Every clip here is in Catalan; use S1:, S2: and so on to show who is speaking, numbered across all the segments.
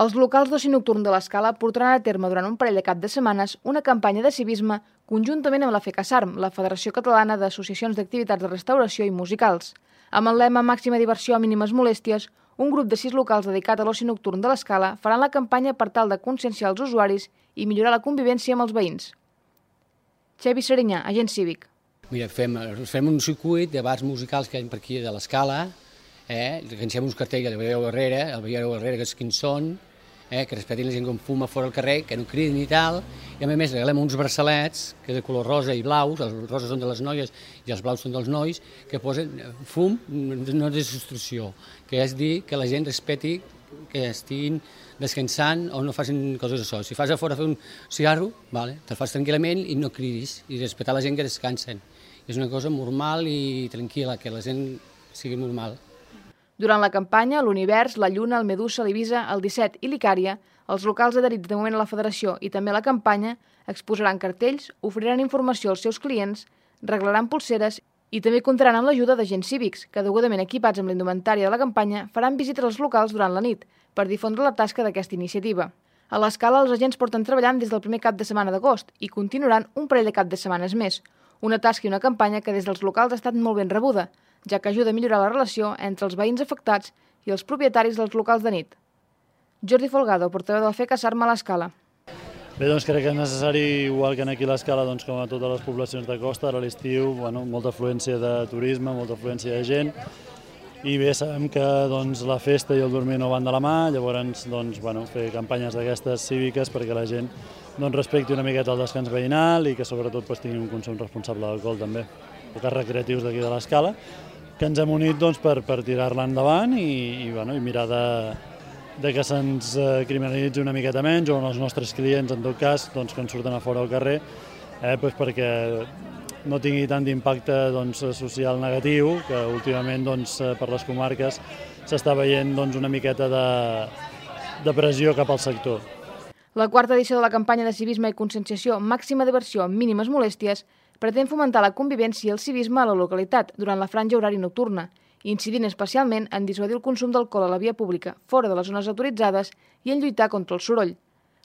S1: Els locals d'oci nocturn de l'Escala portaran a terme durant un parell de cap de setmanes una campanya de civisme conjuntament amb la FECASARM, la Federació Catalana d'Associacions d'Activitats de Restauració i Musicals. Amb el lema Màxima diversió, mínimes molèsties, un grup de 6 locals dedicat a l'oci nocturn de l'Escala faran la campanya per tal de conscienciar els usuaris i millorar la convivència amb els veïns. Xavi Serinyà, agent cívic.
S2: Mira, fem un circuit de bars musicals que hi ha per aquí de l'Escala, que encem uns cartells que el veieu darrere, que és quins són, que respetin la gent que fuma fora al carrer, que no cridin i tal, i a més regalem uns braçalets, que de color rosa i blaus, els roses són de les noies i els blaus són dels nois, que posen fum, no desobstrucció, que és dir que la gent respeti que estiguin descansant o no facin coses d'això. Si fas a fora fer un cigarro, te'l fas tranquil·lament i no cridis, i respectar la gent que descansen. És una cosa normal i tranquil·la, que la gent sigui normal.
S1: Durant la campanya, l'Univers, la Lluna, el Medusa, l'Ibiza, el 17 i l'Icària, els locals adherits de moment a la Federació i també a la campanya, exposaran cartells, oferiran informació als seus clients, reglaran pulseres i també comptaran amb l'ajuda d'agents cívics, que degudament equipats amb la indumentària de la campanya faran visites als locals durant la nit per difondre la tasca d'aquesta iniciativa. A l'Escala, els agents porten treballant des del primer cap de setmana d'agost i continuaran un parell de cap de setmanes més, una tasca i una campanya que des dels locals ha estat molt ben rebuda, ja que ajuda a millorar la relació entre els veïns afectats i els propietaris dels locals de nit. Jordi Folgado, portaveu de la FECASARM a l'Escala.
S3: Bé, doncs crec que és necessari, igual que aquí a l'Escala, com a totes les poblacions de costa, ara a l'estiu, molta afluència de turisme, molta afluència de gent, i bé, sabem que la festa i el dormir no van de la mà, llavors fer campanyes d'aquestes cíviques perquè la gent respecti una miqueta el descans veïnal i que sobretot tingui un consum responsable d'alcohol també. Locals recreatius d'aquí de l'Escala, que ens hem unit per tirar-la endavant i mirar de que se'ns criminalitzi una miqueta menys, o els nostres clients, en tot cas, que ens surten a fora al carrer, perquè no tingui tant d'impacte social negatiu, que últimament per les comarques s'està veient una miqueta de pressió cap al sector.
S1: La quarta edició de la campanya de civisme i conscienciació Màxima diversió, mínimes molèsties pretén fomentar la convivència i el civisme a la localitat durant la franja horària nocturna, incidint especialment en dissuadir el consum d'alcohol a la via pública, fora de les zones autoritzades i en lluitar contra el soroll.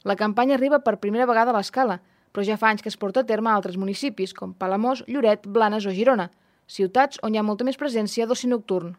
S1: La campanya arriba per primera vegada a l'Escala, però ja fa anys que es porta a terme a altres municipis com Palamós, Lloret, Blanes o Girona, ciutats on hi ha molta més presència d'oci nocturn.